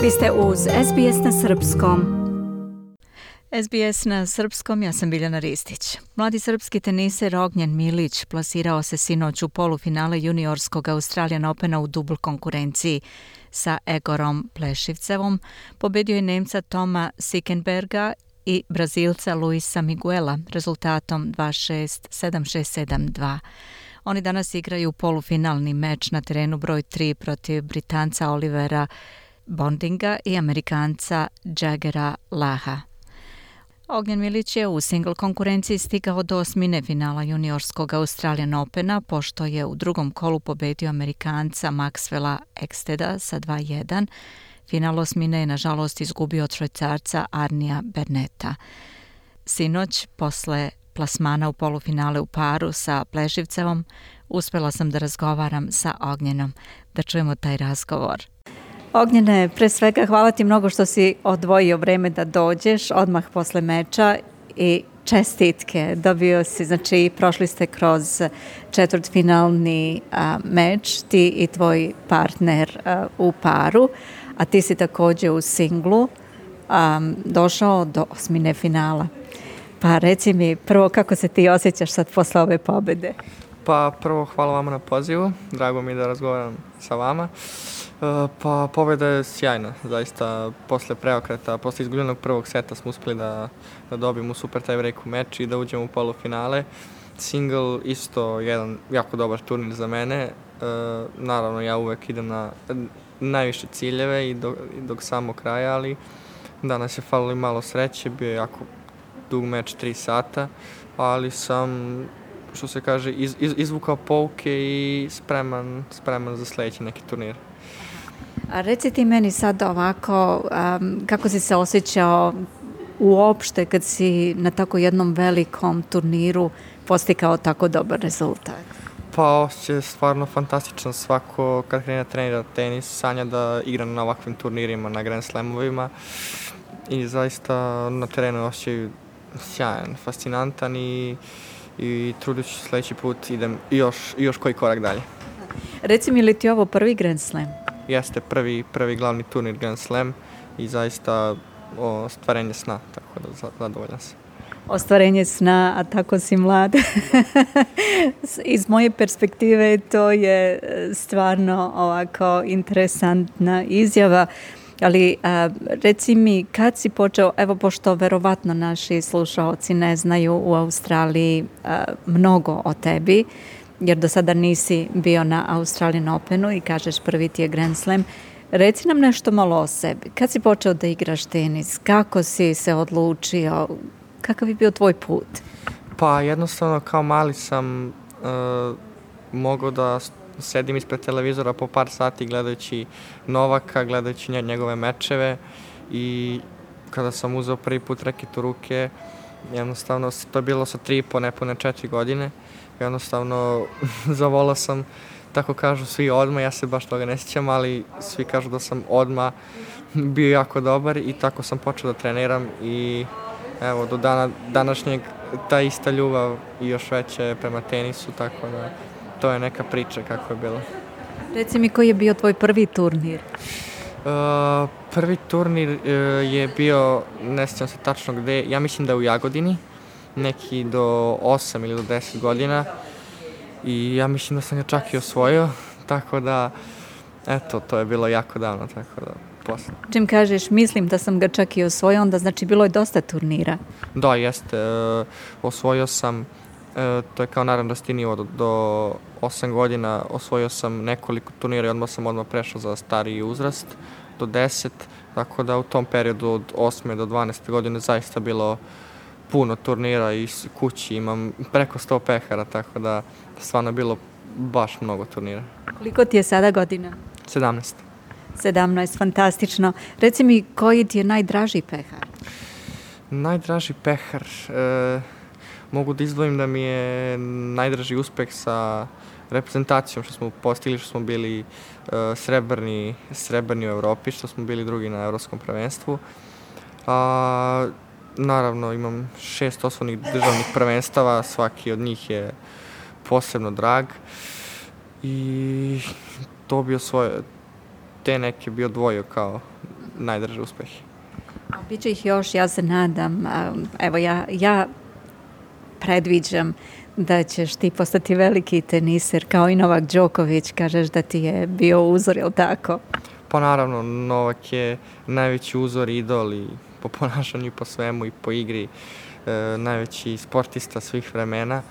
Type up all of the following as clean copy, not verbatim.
Vi ste uz SBS na srpskom. SBS na srpskom, ja sam Biljana Ristić. Mladi srpski teniser Ognjen Milić plasirao se sinoć u polufinale juniorskog Australian Opena u dubl konkurenciji sa Egorom Plešivcevom. Pobedio je Nemca Toma Sickenberga i Brazilca Luisa Miguela rezultatom 2-6, 7-6, 7-2. Oni danas igraju polufinalni meč na terenu broj 3 protiv Britanca Olivera Bondinga i Amerikanca Jaggera Laha. Ognjen Milić je u singl konkurenciji stigao do osmine finala juniorskog Australian Opena, pošto je u drugom kolu pobedio Amerikanca Maxwella Eksteda sa 2-1. Final osmine je nažalost izgubio od Švajcarca Arnija Berneta. Sinoć, posle plasmana u polufinale u paru sa Plešivcevom, uspjela sam da razgovaram sa Ognjenom. Da čujemo taj razgovor. Ognjene, pre svega hvala ti mnogo što si odvojio vreme da dođeš odmah posle meča i čestitke. Dobio si, znači prošli ste kroz četvrtfinalni meč, ti i tvoj partner u paru, a ti si također u singlu došao do osmine finala. Pa reci mi prvo kako se ti osjećaš sad posle ove pobede? Pa prvo hvala vama na pozivu, drago mi je da razgovaram sa vama. Pa pobjeda je sjajna, zaista posle preokreta, posle izgubljenog prvog seta smo uspjeli da dobijemo super tie-break u meč i da uđemo u polufinale. Single isto jedan jako dobar turnir za mene, naravno ja uvek idem na najviše ciljeve i do samog kraja, ali danas je falilo malo sreće, bio je jako dug meč 3 sata, ali sam, što se kaže, izvukao pouke i spreman za sljedeći neki turnir. A reci ti meni sad ovako, kako si se osjećao uopšte kad si na tako jednom velikom turniru postigao tako dobar rezultat? Pa osjećaj je stvarno fantastičan. Svako kad krene trenira tenis sanja da igra na ovakvim turnirima, na Grand Slamovima i zaista na terenu osjećaj sjajan, fascinantan i trudit ću sljedeći put idem još koji korak dalje. Reci mi, li ti ovo prvi Grand Slam? Jeste prvi glavni turnir Grand Slam i zaista ostvarenje sna, tako da zadovoljan sam. Ostvarenje sna, a tako si mlad. Iz moje perspektive to je stvarno ovako interesantna izjava, ali reci mi kad si počeo, evo pošto verovatno naši slušaoci ne znaju u Australiji mnogo o tebi, jer do sada nisi bio na Australian Openu i kažeš prvi ti je Grand Slam. Reci nam nešto malo o sebi. Kad si počeo da igraš tenis? Kako si se odlučio? Kakav je bio tvoj put? Pa jednostavno kao mali sam mogao da sedim ispred televizora po par sati gledajući Novaka, gledajući njegove mečeve i kada sam uzeo prvi put reket u ruke, jednostavno to je bilo sa 3,5, nepune 4 godine. Jednostavno zavolao sam, tako kažu svi odmah, ja se baš toga ne sjećam, ali svi kažu da sam odmah bio jako dobar i tako sam počeo da treniram i evo do dana današnjeg ta ista ljubav i još veće prema tenisu, tako da to je neka priča kako je bilo. Reci mi koji je bio tvoj prvi turnir? Prvi turnir je bio, ne sjećam se tačno gde, ja mislim da je u Jagodini, neki do 8 ili do 10 godina i ja mislim da sam ga čak i osvojio, tako da, eto, to je bilo jako davno, tako da, posle. Čim kažeš, mislim da sam ga čak i osvojio, onda znači bilo je dosta turnira. Da, jeste, osvojio sam, to je kao naranđasti nivo, do 8 godina osvojio sam nekoliko turnira i odmah sam prešao za stariji uzrast, do 10, tako da u tom periodu od 8. do 12. godine zaista bilo puno turnira i kući imam preko 100 pehara, tako da stvarno bilo baš mnogo turnira. Koliko ti je sada godina? 17. 17, fantastično. Reci mi, koji ti je najdraži pehar? Najdraži pehar? Mogu da izdvojim da mi je najdraži uspeh sa reprezentacijom, što smo postigli, što smo bili srebrni u Evropi, što smo bili drugi na Evropskom prvenstvu. Naravno, imam 6 osnovnih državnih prvenstava, svaki od njih je posebno drag i to bio te neke bi odvojio kao najdrže uspehe. Biće ih još, ja se nadam. Evo, ja predviđam da ćeš ti postati veliki teniser kao i Novak Đoković, kažeš da ti je bio uzor, je li tako? Pa naravno, Novak je najveći uzor, idol i po ponašanju i po svemu i po igri, najveći sportista svih vremena.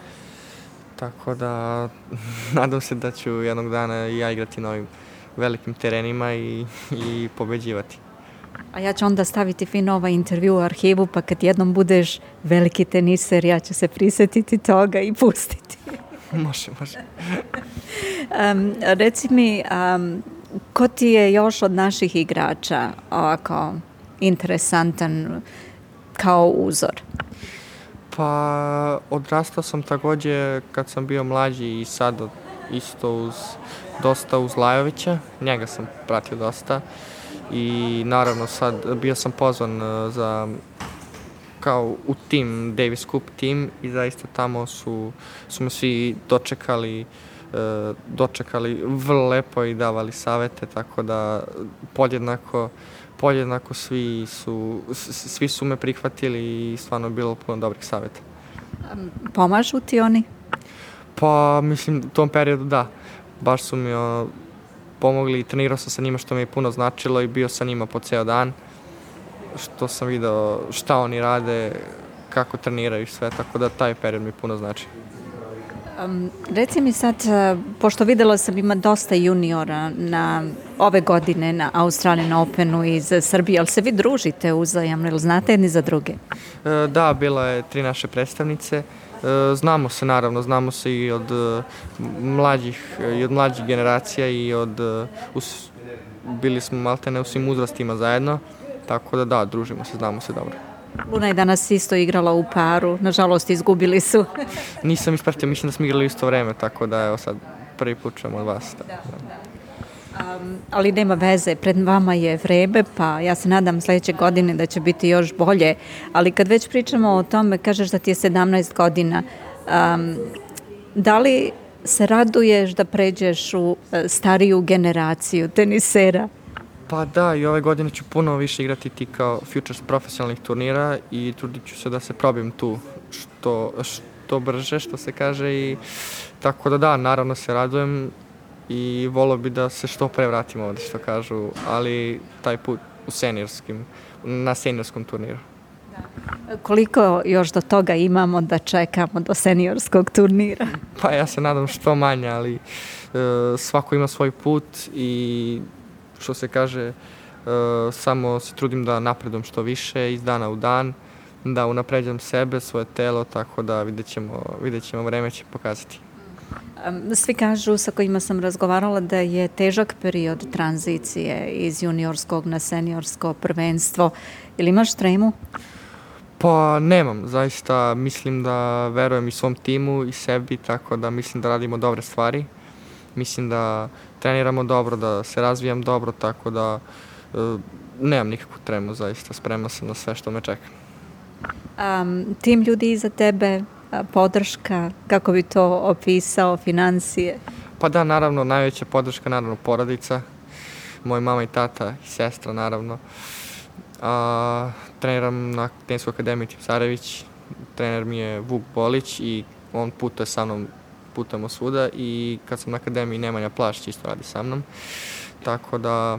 Tako da nadam se da ću jednog dana i ja igrati na ovim velikim terenima i pobeđivati. A ja ću onda staviti fino ovaj intervju u arhivu, pa kad jednom budeš veliki teniser, ja ću se prisetiti toga i pustiti. Može. Reci mi, ko ti je još od naših igrača ovako interesantan kao uzor? Pa odrastao sam takođe kad sam bio mlađi i sad isto dosta uz Lajovića, njega sam pratio dosta i naravno sad bio sam pozvan kao u tim, Davis Cup tim i zaista tamo su me svi dočekali vrlo lepo i davali savete, tako da podjednako svi su me prihvatili i stvarno je bilo puno dobrih saveta. Pomažu ti oni? Pa mislim u tom periodu da, baš su mi pomogli i trenirao sam sa njima što mi je puno značilo i bio sa njima po ceo dan, što sam video šta oni rade, kako treniraju i sve, tako da taj period mi puno znači. Reci mi sad, pošto videla sam ima dosta juniora ove godine na Australian Openu iz Srbije, ali se vi družite uzajamno ili znate jedni za druge? Da, bila je 3 naše predstavnice. Znamo se naravno, znamo se i od mlađih generacija i bili smo maltene u svim uzrastima zajedno, tako da družimo se, znamo se dobro. Luna je danas isto igrala u paru, nažalost izgubili su. Nisam ispratio, mislim da smo igrali u isto vreme, tako da evo sad prvi put čujemo od vas. Ali nema veze, pred vama je vreme, pa ja se nadam sledeće godine da će biti još bolje, ali kad već pričamo o tome, kažeš da ti je 17 godina, da li se raduješ da pređeš u stariju generaciju tenisera? Pa da, i ove godine ću puno više igrati ti kao Futures profesionalnih turnira i trudit ću se da se probijem tu što brže, što se kaže, i tako da naravno se radujem i volio bi da se što pre vratim ovde, što kažu, ali taj put na seniorskom turniru. Koliko još do toga imamo da čekamo do seniorskog turnira? Pa ja se nadam što manje, ali svako ima svoj put i što se kaže, samo se trudim da napredujem što više iz dana u dan, da unapređam sebe, svoje telo, tako da vidjet ćemo, vreme će pokazati. Svi kažu sa kojima sam razgovarala da je težak period tranzicije iz juniorskog na seniorsko prvenstvo. Ili imaš tremu? Pa nemam, zaista mislim da verujem i svom timu i sebi, tako da mislim da radimo dobre stvari. Mislim da treniramo dobro, da se razvijam dobro, tako da nemam nikakvu tremu, zaista spreman sam na sve što me čeka. Tim ljudi iza tebe, podrška, kako bi to opisao, financije? Pa da, naravno, najveća podrška, naravno, porodica, moj mama i tata i sestra, naravno. Treniram na Teniskoj akademiji Tipsarević, trener mi je Vuk Bolić i on putuje sa mnom, putujemo svuda, i kad sam na akademiji Nemanja Plašć isto radi sa mnom, tako da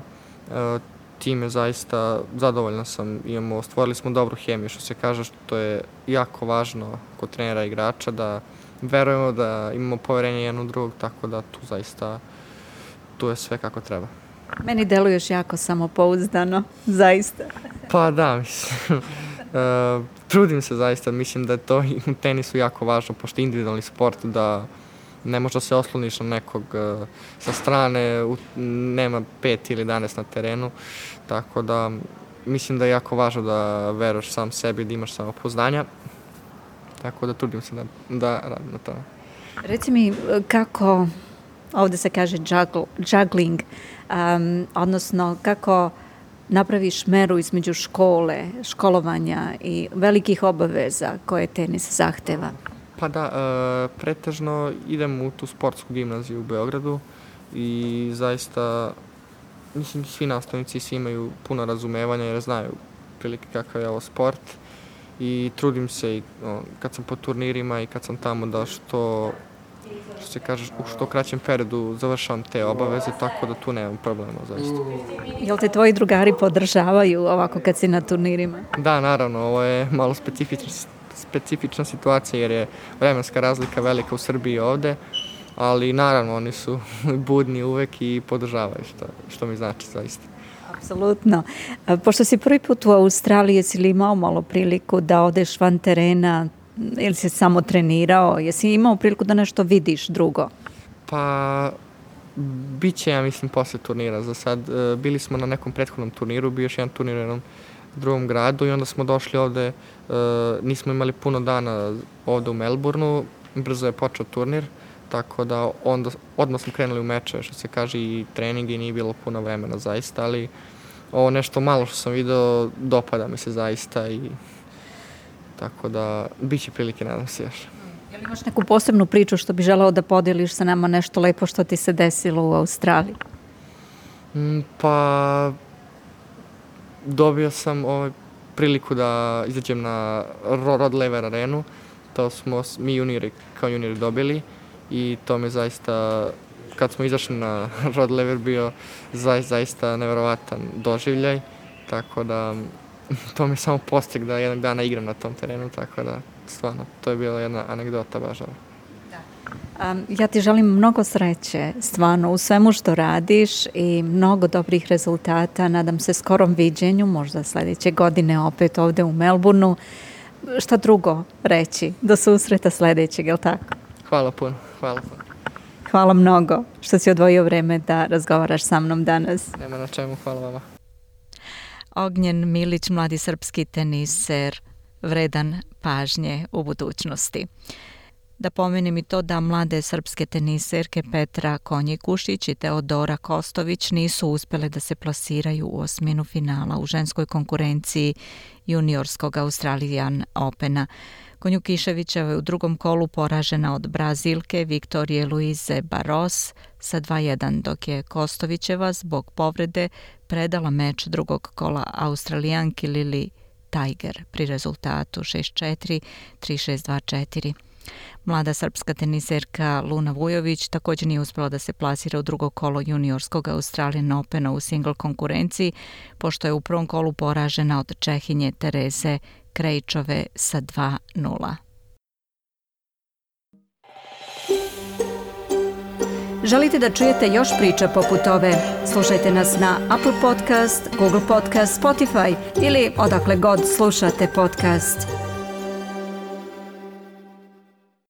tim je zaista, zadovoljna sam, stvorili smo dobru hemiju, što se kaže, što je jako važno kod trenera i igrača, da verujemo, da imamo poverenje jedan u drugog, tako da tu je sve kako treba. Meni deluješ jako samopouzdano, zaista. Pa da, mislim, trudim se zaista, mislim da je to i u tenisu jako važno, pošto je individualni sport, da ne možda se osloniš na nekog sa strane, nema 5 ili 11 na terenu, tako da mislim da je jako važno da veruješ sam sebi, da imaš samopouzdanja, tako da trudim se da radim na tome. Reci mi kako, ovde se kaže juggling, odnosno kako napraviš meru između školovanja i velikih obaveza koje tenis zahteva? Pa da, pretežno idem u tu sportsku gimnaziju u Beogradu i zaista mislim, svi nastavnici svi imaju puno razumevanja jer znaju prilike kakav je ovo sport i trudim se i kad sam po turnirima i kad sam tamo da što se kaže, u što kraćem periodu završavam te obaveze, tako da tu nemam problema, zaista. Jel te tvoji drugari podržavaju ovako kad si na turnirima? Da, naravno, ovo je malo specifična situacija jer je vremenska razlika velika u Srbiji i ovde, ali naravno oni su budni uvek i podržavaju, što mi znači zaista. Apsolutno. Pošto si prvi put u Australiji, jesi li imao malo priliku da odeš van terena ili si samo trenirao? Jesi imao priliku da nešto vidiš drugo? Pa, bit će, ja mislim, posle turnira. Za sad bili smo na nekom prethodnom turniru, bio još jedan turnir u jednom drugom gradu i onda smo došli ovde, nismo imali puno dana ovde u Melbourneu, brzo je počeo turnir, tako da onda odmah smo krenuli u meče, što se kaže, i treningi i nije bilo puno vremena zaista, ali ovo nešto malo što sam video dopada mi se zaista i tako da bit će prilike, nadam se još. Jel imaš neku posebnu priču što bi želeo da podeliš sa nama, nešto lepo što ti se desilo u Australiji? Pa dobio sam priliku da izađem na Rod Laver arenu, to smo mi juniori kao juniori dobili i to mi zaista, kad smo izašli na Rod Laver, bio zaista neverovatan doživljaj, tako da to mi je samo postek da jednog dana igram na tom terenu, tako da stvarno to je bila jedna anegdota baš. Ja ti želim mnogo sreće stvarno u svemu što radiš i mnogo dobrih rezultata. Nadam se skorom viđenju, možda sledeće godine opet ovde u Melbourneu. Šta drugo reći? Do susreta sledećeg, je li tako? Hvala puno, hvala puno. Hvala mnogo što si odvojio vreme da razgovaraš sa mnom danas. Nema na čemu, hvala vama. Ognjen Milić, mladi srpski teniser, vredan pažnje u budućnosti. Da pomenem i to da mlade srpske teniserke Petra Konji-Kušić i Teodora Kostović nisu uspele da se plasiraju u osminu finala u ženskoj konkurenciji juniorskog Australian Opena. Konjukiševićeva je u drugom kolu poražena od Brazilke Viktorije Luize Barros sa 2:1, dok je Kostovićeva zbog povrede predala meč drugog kola Australijanki Lili Tiger pri rezultatu 6:4, 3:6, 2:4. Mlada srpska teniserka Luna Vujović također nije uspjela da se plasira u drugo kolo juniorskog Australian Opena u single konkurenciji, pošto je u prvom kolu poražena od Čehinje Tereze Krejčove sa 2:0. Želite da čujete još priča poput ove? Slušajte nas na Apple Podcast, Google Podcast, Spotify ili odakle god slušate podcast.